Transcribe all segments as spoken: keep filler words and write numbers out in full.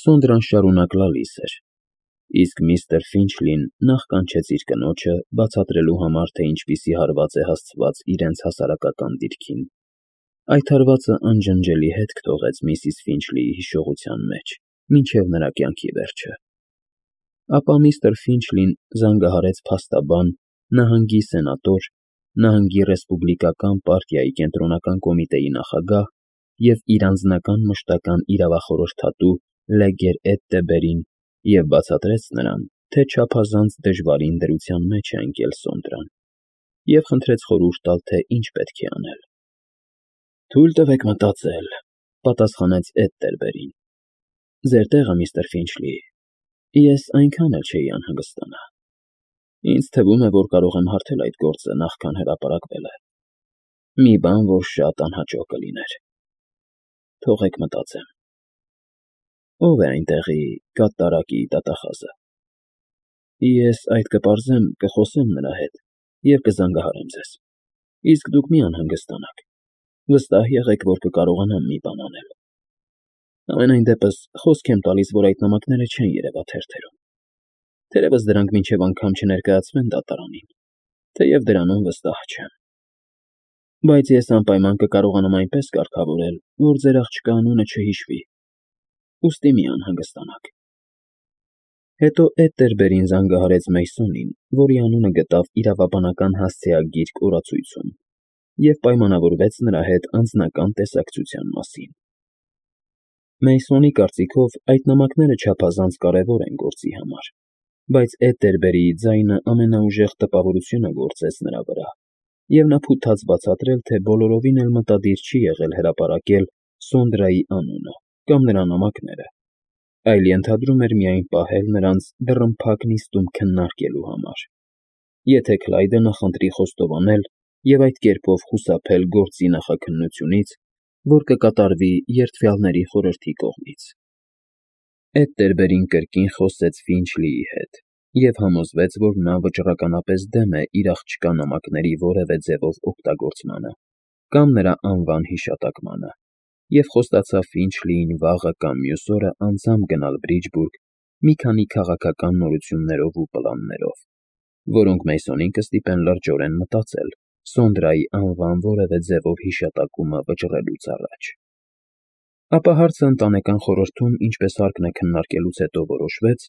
Սոնդրան շարունակ լալիս էր, իսկ միստր Ֆինչլին նախ կանչեց իր կնոջը բացատրելու համար, թե ինչպիսի հարված է հասցված իրենց հասարակական դիրքին. այդ հարվածը անջնջելի հետք թողեց միսիս Ֆինչլիի հիշողության մեջ մինչև նրա կյանքի վերջը։ Ապա միստր Ֆինչլին զանգահարեց փաստաբան, նահանգի սենատոր, նահանգի ռեսպուբլիկական պարտիայի կենտրոնական կոմիտեի նախագահ և իր անձնական մշտական իրավախորհրդատու Լեգեր Էդտեբերին և բացատրեց նրան, թե չափազանց դժվարին դրության մեջ է ընկել Սոնդրան, և խնդրեց խորհուրդ տալ, թե ինչ պետք է անել։ «Թույլ տվեք մտածել», ֊ պատասխանեց Էդտերբերին։ «Ձեր տեղը, միստր Ֆինչլի, ես այնքան էլ չէի անհանգստանա։ Ինձ թվում է, որ կարող եմ հարթել այդ գործը, նախքան հրապարակվելը։ Մի բան, որ շատ անհաճո կլիներ։ Թողեք մտածեմ։ Ո՞վ է այնտեղի կատարակի դատախազը։ Ես այդ կպարզեմ, կխոսեմ նրա հետ և կզանգահարեմ ձեզ, իսկ դուք մի անհանգստանաք, վստահ եղեք, որ կկարողանամ մի բան անել։ Համենայն դեպս, խոսք եմ տալիս, որ այդ նամակները չեն երևա թերթերում, թերևս դրանք մինչև անգամ չներկայացվեն դատարանին, թեև դրանում վստահ չեմ։ Բայց ես անպայման կկարողանամ այնպես կարգավորել, որ ձեր աղջկա անունը չհիշվի, ուստի մի անհանգստանաք»։ Հետո Էդտերբերին զանգահարեց Մեյսոնին, որի անունը գտավ իրավաբանական հասցեագիրք օրացույցում, և պայմանավորվեց նրա հետ անձնական տեսակցության մասին։ Մեյսոնի կարծիքով այդ նամակները չափազանց կարևոր են գործի համար, բայց Էդտերբերիի ձայնը ամենաուժեղ տպավորությունը գործեց նրա վրա, և նա փութաց բացատրել, թե բոլորովին էլ մտադիր չի եղել հրապարակել Սոնդրայի անունը կամ նրա նամակները, այլ ենթադրում էր միայն պահել նրանց դռնփակ նիստում քննարկելու համար, եթե Քլայդը նախընտրի խոստովանել և այդ կերպով խուսափել գործի նախաքննությունից, որ կկատարվի երդվյալների խորհրդի կողմից։ Էդտերբերին կրկին խոսեց Ֆինչլիի հետ և համոզվեց, որ նա վճռականապես դեմ է իր աղջկա նամակների որևէ ձևով օգտագործմանը կամ նրա անվան հիշատակմանը, և խոստացավ Ֆինչլիին վաղը կամ մյուս օրը անձամբ գնալ Բրիջբուրգ մի քանի քաղաքական նորություններով ու պլաններով, որոնք Մեյսոնին կստիպեն լրջորեն մտածել Սոնդրայի անվան որևէ ձևով հիշատակումը վճռելուց առաջ։ Ապա հարցը ընտանեկան խորհրդում ինչպես հարկն է քննարկելուց հետո որոշվեց,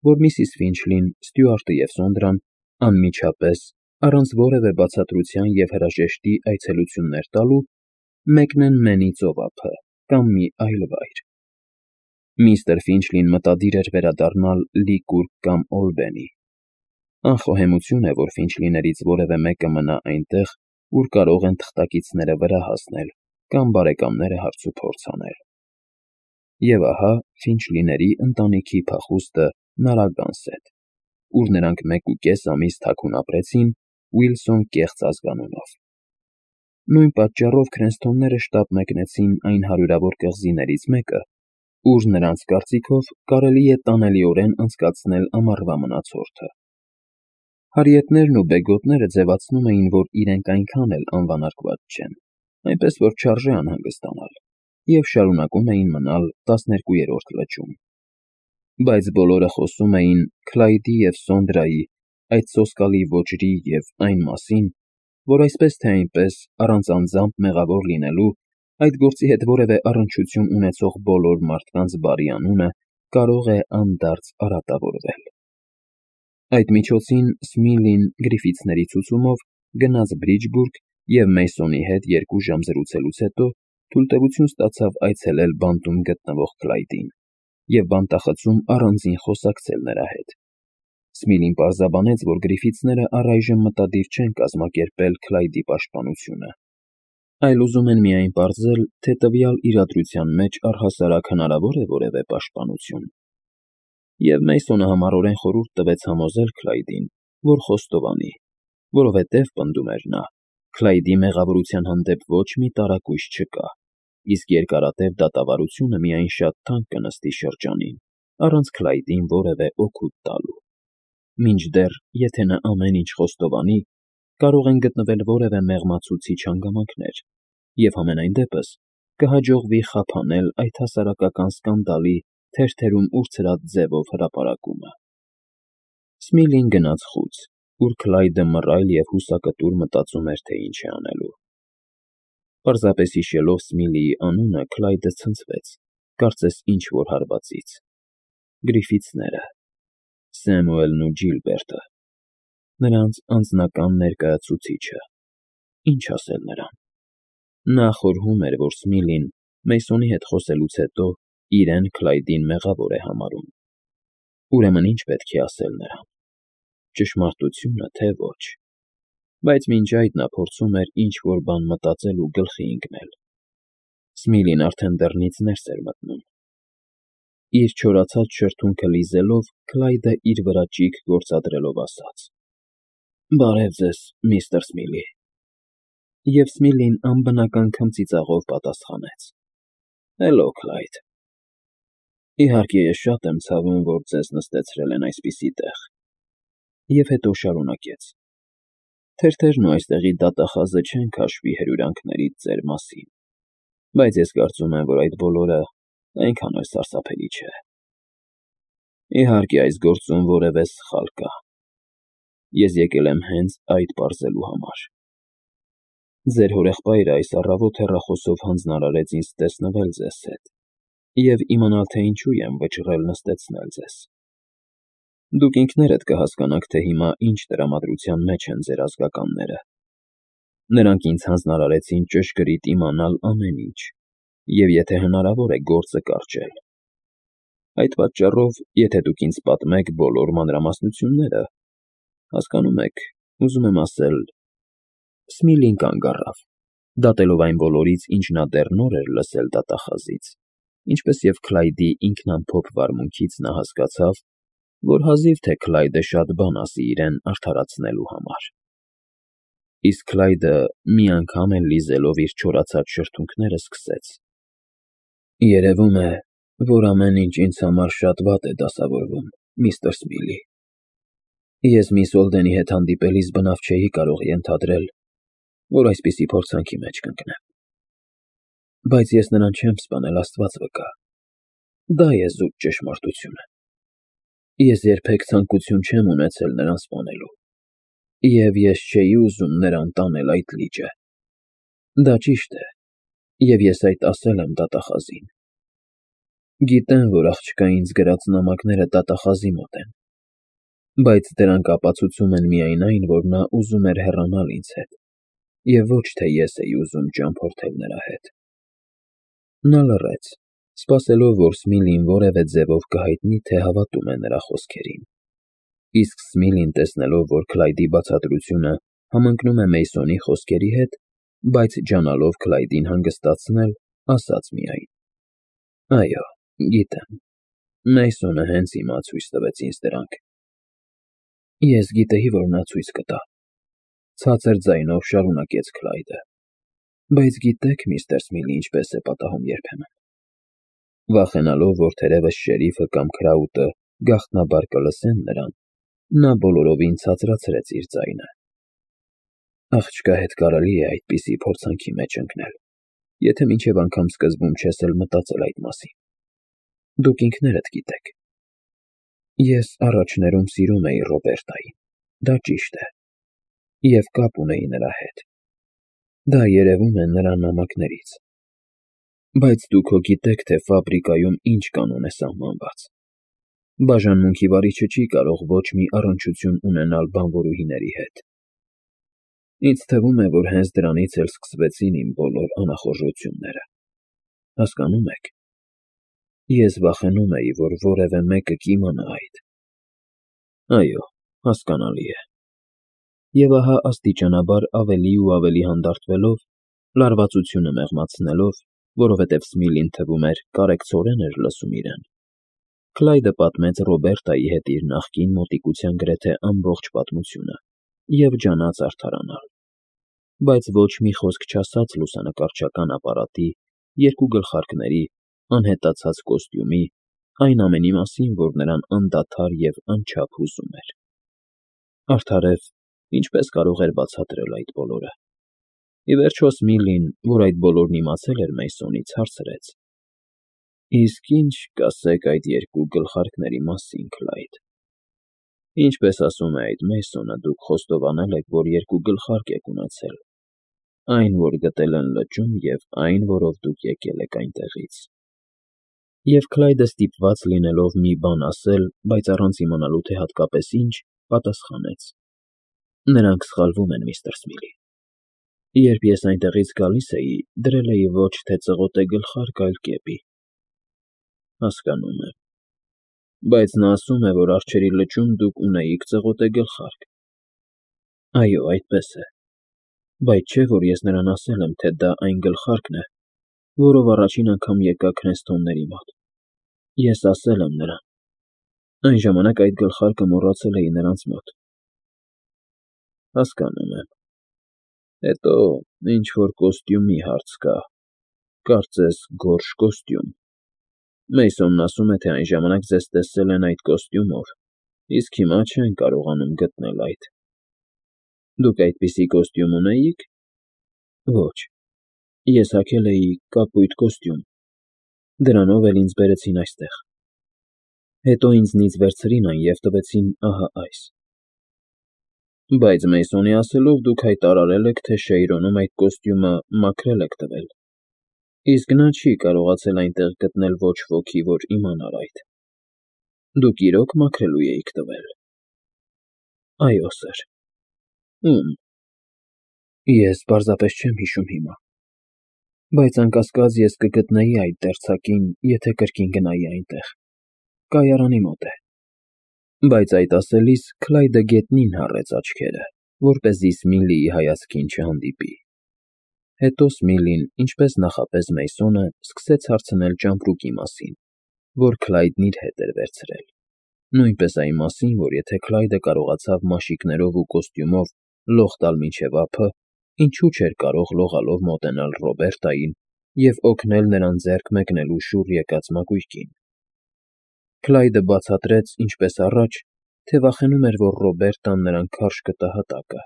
որ միսիս Ֆինչլին, Ստյուարտը և Սոնդրան անմիջապես, առանց որևէ բացատրության և հրաժեշտի այցելություններ տալու, մեկնեն Մենի ծովափը կամ մի այլ վայր։ Միստր Ֆինչլին մտադիր էր վերադառնալ Լիկուրգ կամ Օլբենի։ Անխոհեմություն է, որ Ֆինչլիներից որևէ մեկը մնա այնտեղ, ուր կարող են թղթակիցները վրա հասնել կամ բարեկամները հարցուփորձ անել։ Եվ ահա Ֆինչլիների ընտանիքի փախուստը Նարագանսետ, ուր նրանք մեկուկես ամիս թաքուն ապրեցին Ուիլսոն կեղծ ազգանունով։ Նույն պատճառով Քրենսթոնները շտապ մեկնեցին այն հարյուրավոր կղզիներից մեկը, ուր, նրանց կարծիքով, կարելի է տանելիորեն անցկացնել ամառվա մնացորդը։ Հարիետներն ու բեգոտները ձևացնում էին, որ իրենք այնքան էլ անվանարկված չեն, այնպես որ չարժե անհանգստանալ, և շարունակում էին մնալ տասներկուերորդ լճում։ Բայց բոլորը խոսում էին Քլայդի և Սոնդրայի, այդ սոսկալի ոճրի և այն մասին, որ այսպես թե այնպես, առանց անձամբ մեղավոր լինելու, այդ գործի հետ որևէ առնչություն ունեցող բոլոր մարդկանց բարի անունը կարող է անդարձ արատավորվել։ Այդ միջոցին Սմիլին Գրիֆիթսների ցուցումով գնաց Բրիջբուրգ և Մեյսոնի հետ երկու ժամ զրուցելուց հետո թույլտվություն ստացավ այցելել բանտում գտնվող Քլայդին և բանտախցում առանձին խոսակցել նրա հետ։ Սմիլին պարզաբանեց, որ Գրիֆիթսները առայժմ մտադիր չեն կազմակերպել Քլայդի պաշտպանությունը, այլ ուզում են միայն պարզել, թե տվյալ իրադրության մեջ առհասարակ հնարավոր է որևէ պաշտպանություն։ Եվ Մեյսոնը համառորեն խորհուրդ տվեց համոզել Քլայդին, որ խոստովանի, որովհետև, պնդում էր նա, Քլայդի մեղավորության հանդեպ ոչ մի տարակույս չկա, իսկ երկարատև դատավարությունը միայն շատ թանկ կնստի շրջանին, առանց Քլայդին որևէ օգուտ տալու։ Մինչդեռ, եթե նա ամեն ինչ խոստովանի, կարող են գտնվել որևէ մեղմացուցիչ հանգամանքներ, և համենայն դեպս կհաջողվի խափանել այդ հասարակական սկանդալի թերթերում ուրցրած ձևով հրապարակումը։ Սմիլին գնաց խուց, ուր Քլայդը մռայլ և հուսակտուր մտածում էր, թե ինչ է անելու։ Պարզապես հիշելով Սմիլիի անունը, Քլայդը ցնցվեց, կարծես ինչ-որ հարվածից։ Գրիֆիթսները, Սեմուելն ու Ջիլբերտը, նրանց անձնական ներկայացուցիչը, ինչ ասել նրան։ Նա խորհում էր, որ Սմիլին Մեյսոնի հետ խոսելուց հետո իրեն Քլայդին մեղավոր է համարում։ Ուրեմն ինչ պետք է ասել նրան։ Ճշմարտությունը, թե ոչ։ Բայց մինչ այդ նա փորձում էր ինչ-որ բան մտածել ու գլխի ընկնել։ Սմիլին արդեն դռնից ներս էր մտնում։ Իր չորացած շրթունքը լիզելով, Քլայդը իր վրա ճիգ գործադրելով ասաց. «Բարև ձեզ, միստր Սմիլի»։ Եվ Սմիլին անբնական քմծիծաղով պատասխանեց. «Հելլո, Քլայդ։ Իհարկե, ես շատ եմ ցավում, որ ձեզ նստեցրել են այսպիսի տեղ»։ Եվ հետո շարունակեց. «Թերթերն ու այստեղի դատախազը չեն քաշվի հրյուրանքներից ձեր մասին, բայց ես կարծում եմ, որ այդ բոլորը այնքան էլ սարսափելի չէ։ Իհարկե, այս գործում որևէ սխալ կա։ Ես եկել եմ հենց այդ պարզելու համար։ Ձեր հորեղբայրը այս առավոտ հեռախոսով հանձնարարեց ինձ տեսնվել ձեզ հետ և իմանալ, թե ինչու եմ վճռել նստեցնել ձեզ։ Դուք ինքներդ կհասկանաք, թե հիմա ինչ տրամադրության մեջ են ձեր ազգականները։ Նրանք ինձ հանձնարարեցին ճշգրիտ իմանալ ամեն ինչ, և եթե հնարավոր է գործը կարճել։ Այդ պատճառով, եթե դուք ինձ պատմեք բոլոր մանրամասնությունները, հասկանում եք, ուզում եմ ասել…» Սմիլին կանգ առավ, դատելով այն բոլորից, ինչ նա դեռ նոր էր լսել դատախազից, ինչպես և Քլայդի ինքնամփոփ վարմունքից նա հասկացավ, որ հազիվ թե Քլայդը շատ բան ասի իրեն արդարացնելու համար։ Իսկ Քլայդը մի անգամ էլ լիզելով իր չորացած շրթունքները սկսեց. «Երևում է, որ ամեն ինչ ինձ համար շատ վատ է դասավորվում, միստր Սմիլի։ Ես միս Օլդենի հետ հանդիպելիս բնավ չէի կարող ենթադրել, որ այսպիսի փորձանքի մեջ կընկնեմ։ Բայց ես նրան չեմ սպանել, Աստված վկա։ Դա է զուտ ճշմարտությունը։ Ես երբեք ցանկություն չեմ ունեցել նրան սպանելու, և ես չէի ուզում նրան տանել այդ լիճը։ Դա ճիշտ է, և ես այդ ասել եմ դատախազին։ Գիտեմ, որ աղջկա ինձ գրած նամակները դատախազի մոտ են, բայց դրանք ապացուցում են միայն այն, որ նա ուզում էր հեռանալ ինձ հետ, և ոչ թե ես էի ուզում ճամփորդել նրա հետ»։ Նա լռեց, սպասելով, որ Սմիլին որևէ ձևով կհայտնի, թե հավատում է նրա խոսքերին։ Իսկ Սմիլին, տեսնելով, որ Քլայդի բացատրությունը համընկնում է Մեյսոնի խոսքերի հետ, բայց ջանալով Քլայդին հանգստացնել, ասաց միայն. «Այո, գիտեմ, Մեյսոնը հենց հիմա ցույց տվեց ինձ դրանք»։ Ես գիտեի, որ նա ցույց կտա, ցածր ձայնով շարունակեց Քլայդը։ Բայց գիտեք, միստր Սմիլի, ինչպես է պատահում երբեմն։ Վախենալով, որ թերևս շերիֆը կամ Քրաուտը գաղտնաբար կլսեն նրան, նա բոլորովին ցածրացրեց իր ձայնը։ Աղջկա հետ կարելի է այդպիսի փորձանքի մեջ ընկնել, եթե մինչև անգամ սկզբում չես էլ մտածել այդ մասին։ Դուք ինքներդ գիտեք։ Ես առաջներում սիրում էի Ռոբերտային, դա ճիշտ է, և կապ ունեի նրա հետ։ Դա երևում է նրա նամակներից։ Բայց դուք հո գիտեք, թե ֆաբրիկայում ինչ կանոն է սահմանված։ Բաժանմունքի վարիչը չի կարող ոչ մի առնչություն ունենալ բանվորուհիների հետ։ Ինձ թվում է, որ հենց դրանից էլ սկսվեցին իմ բոլոր անախորժությունները։ Հասկանո՞ւմ եք։ Ես վախենում էի, որ որևէ մեկը կիմանա այդ։ Այո, հասկանալի է։ Եվ ահա աստիճանաբար ավելի ու ավելի հանդարտվելով, լարվածությունը մեղմացնելով, որովհետև Սմիլին թվում էր կարեկցորեն էր լսում իրեն, Քլայդը պատմեց Ռոբերտայի հետ իր նախկին մոտիկության գրեթե ամբողջ պատմությունը և ջանաց արդարանալ, բայց ոչ մի խոսք չասաց լուսանկարչական ապարատի, երկու գլխարկների, անհետացած կոստյումի, այն ամենի մասին, որ նրան անդադար և անչափ հուզում էր։ Արդարև, ինչպես կարող էր բացատրել այդ բոլորը։ Ի վերջո Սմիլին, որ այդ բոլորն իմացել էր Մեյսոնից, հարցրեց. Իսկ ինչ կասեք այդ երկու գլխարկների մասին, Քլայդ։ Ինչպես ասում է այդ Մեյսոնը, դուք խոստովանել եք, որ երկու գլխարկ եք ունեցել. այն, որ գտել են լճում, և այն, որով դուք եկել եք այնտեղից։ Եվ Քլայդը ստիպված լինելով մի բան ասել, բայց առանց իմանալու, թե հատկապես ինչ, պատասխանեց. Նրանք սխալվում են, միստր Սմիլի։ Երբ ես այնտեղից գալիս էի, դրել էի ոչ թե ծղոտե գլխարկ, այլ կեպի։ Հասկանում եմ։ Բայց նա ասում է, որ արջերի լճում դուք ունեիք ծղոտե գլխարկ։ Այո, այդպես է։ Բայց չէ, որ ես նրան ասել եմ, թե դա այն գլխարկն է, որով առաջին անգամ եկա Քրեսթոնների մոտ։ Ես ասել եմ նրան։ Այն ժամանակ այդ գլխարկը մոռացել էի նրանց մոտ։ Հասկանում եմ։ Հետո ինչ-որ կոստյումի հարց կա, կարծես գորշ կոստյում։ Մեյսոնն ասում է, թե այն ժամանակ ձեզ տեսել են այդ կոստյումով, իսկ հիմա չեն կարողանում գտնել այդ։ Դուք այդպիսի կոստյում ունեիք։ Ոչ։ Ես հագել էի կապույտ կոստյում։ Դրանով էլ ինձ բերեցին այստեղ։ Հետո ինձնից վերցրին այն և տվեցին ահա այս։ Բայց Մեյսոնի ասելով, դուք հայտարարել եք, թե Շեյրոնում այդ կոստյումը մաքրել եք տվել, իսկ նա չի կարողացել այնտեղ գտնել ոչ ոքի, որ իմանար այդ։ Դուք իրոք մաքրելու էիք տվել։ Այո, սըր։ Ում։ Ես պարզապես չեմ հիշում հիմա։ Բայց անկասկած ես կգտնեի այդ դերձակին, եթե կրկին գնայի այնտեղ։ Կայարանի մոտ է։ Բայց այդ ասելիս Քլայդը գետնին հառեց աչքերը, որպեսզի Սմիլիի հայացքին չհանդիպի։ Հետո Սմիլին, ինչպես նախապես Մեյսոնը, սկսեց հարցնել ճամպրուկի մասին, որ Քլայդն իր հետ էր վերցրել։ Նույնպես այն մասին, որ եթե Քլայդը կարողացավ մաշիկներով ու կոստյումով լող տալ մինչև ափը, ինչու չէր կարող լողալով մոտենալ Ռոբերտային և օգնել նրան ձեռք մեկնելու շուռ եկած մակույկին։ Քլայդը բացատրեց, ինչպես առաջ, թե վախենում էր, որ Ռոբերտան նրան քարշ կտա հատակը։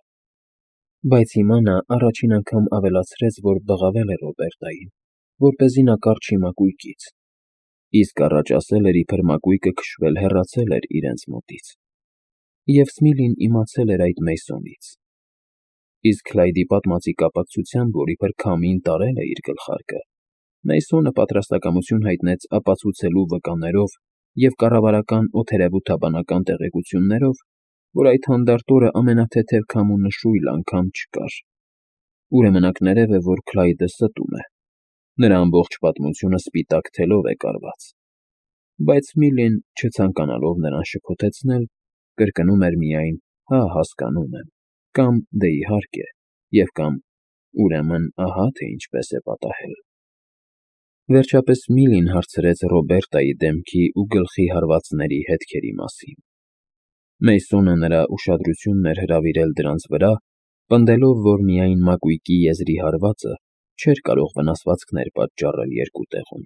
Բայց հիմա նա առաջին անգամ ավելացրեց, որ բղավել է Ռոբերտային, որպեսզի նա կառչի մակույկից, իսկ առաջ ասել էր, իբր մակույկը քշվել հեռացել էր իրենց մոտից։ Եվ Սմիլին իմացել էր այդ Մեյսոնից։ Իսկ Քլայդի պատմածի կապակցությամբ, որ իբր քամին տարել է իր գլխարկը, Մեյսոնը պատրաստակամություն հայտնեց ապացուցելու վկաներով և կառավարական օդերևութաբանական տեղեկություններով, որ այդ հանդարտ օրը ամենաթեթև քամու նշույլ անգամ չկար։ Ուրեմն ակներև է, որ Քլայդը ստում է։ Նրա ամբողջ պատմությունը սպիտակ թելով է կարված։ Բայց Սմիլին, չցանկանալով նրան շփոթեցնել, կրկնում էր միայն. հա, հասկանում եմ, կամ դե իհարկե, և կամ ուրեմն ահա թե ինչպես է պատահել։ Վերջապես Սմիլին հարցրեց Ռոբերտայի դեմքի ու գլխի հարվածների հետքերի մասին։ Մեյսոնը նրա ուշադրությունն էր հրավիրել դրանց վրա, պնդելով, որ միայն մակույկի եզրի հարվածը չէր կարող վնասվածքներ պատճառել երկու տեղում։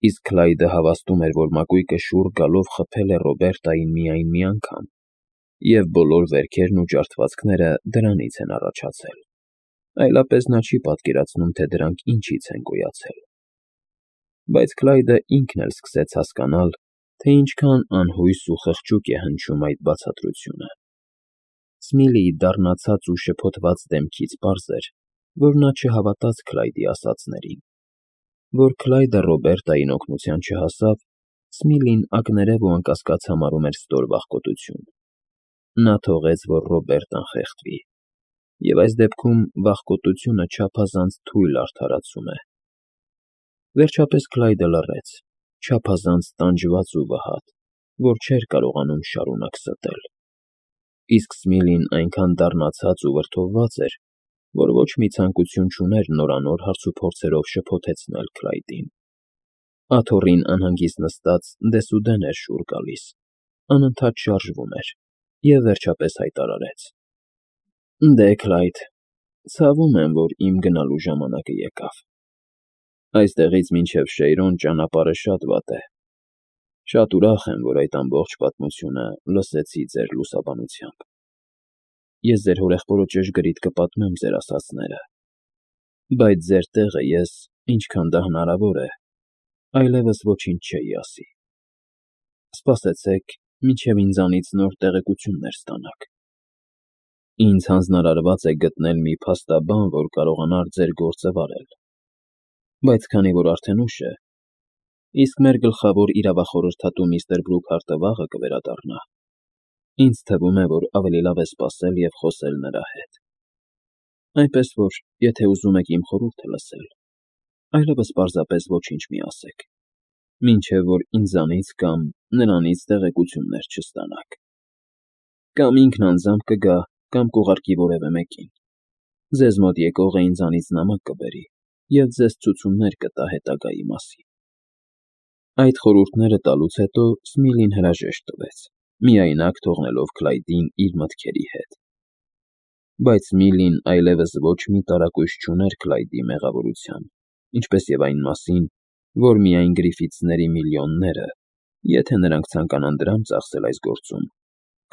Իսկ Քլայդը հավաստում էր, որ մակույկը շուռ գալով խփել է Ռոբերտային միայն մի անգամ, և բոլոր վերքերն ու ջարդվածքները դրանից են առաջացել։ Այլապես նա չի պատկերացնում, թե դրանք ինչից են գոյացել։ Բայց Քլայդը ինքն էլ սկսեց հասկանալ, թե ինչքան անհույս ու խղճուկ է հնչում այդ բացատրությունը։ Սմիլիի դառնացած ու շփոթված դեմքից պարզ էր, որ նա չհավատաց Քլայդի ասածներին։ Որ Քլայդը Ռոբերտային օգնության չհասավ, Սմիլին ակներև ու անկասկած համարում էր ստոր վախկոտություն։ Նա թողեց, որ Ռոբերտան խեղդվի, և այս դեպքում վախկոտությունը չափազանց թույլ արդարացում է։ Վերջապես Քլայդը լռեց, չափազանց տանջված ու վհատ, որ չէր կարողանում շարունակ ստել։ Իսկ Սմիլին այնքան դառնացած ու վրդովված էր, որ ոչ մի ցանկություն չուներ նորանոր հարցուփորձերով շփոթեցնել Քլայդին։ Աթոռին անհանգիստ նստած դեսուդեն էր շուռ գալիս, անընդհատ շարժվում էր և վերջապես հայտարարեց. Դե, Քլայդ, ցավում եմ, որ իմ գնալու ժամանակը եկավ։ Այստեղից մինչև Շեյրոն ճանապարհը շատ վատ է։ Շատ ուրախ եմ, որ այդ ամբողջ պատմությունը լսեցի ձեր լուսաբանությամբ։ Ես ձեր հորեղբորը ճշգրիտ կպատմեմ ձեր ասածները, բայց ձեր տեղը ես, ինչքան դա հնարավոր է, այլևս ոչինչ չէի ասի։ Սպասեցեք, մինչև ինձանից նոր տեղեկություններ ստանաք։ Ինձ հանձնարարված է գտնել մի փաստաբան, որ կարողանար ձեր գործը վարել։ Բայց քանի որ արդեն ուշ է, իսկ մեր գլխավոր իրավախորհրդատու միստր Բրուքհարտը վաղը կվերադառնա, ինձ թվում է, որ ավելի լավ է սպասել և խոսել նրա հետ։ Այնպես որ, եթե ուզում եք իմ խորհուրդը լսել, այլևս պարզապես ոչինչ մի ասեք, մինչև որ ինձանից կամ նրանից տեղեկություններ չստանաք։ Կամ ինքն անձամբ կգա, կամ կուղարկի որևէ մեկին։ Ձեզ մոտ եկողը ինձանից նամակ կբերի և ձեզ ցուցումներ կտա հետագայի մասին։ Այդ խորհուրդները տալուց հետո Սմիլին հրաժեշտ տվեց, միայնակ թողնելով Քլայդին իր մտքերի հետ։ Բայց Միլին այլևս ոչ մի տարակույս չուներ Քլայդի մեղավորության, ինչպես և այն մասին, որ միայն Գրիֆիթսների միլիոնները, եթե նրանք ցանկանան դրամ ծախսել այս գործում,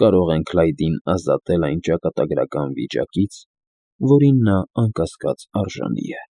կարող են Քլայդին ազատել այն ճակատագրական վիճակից, որին նա անկասկած արժանի է։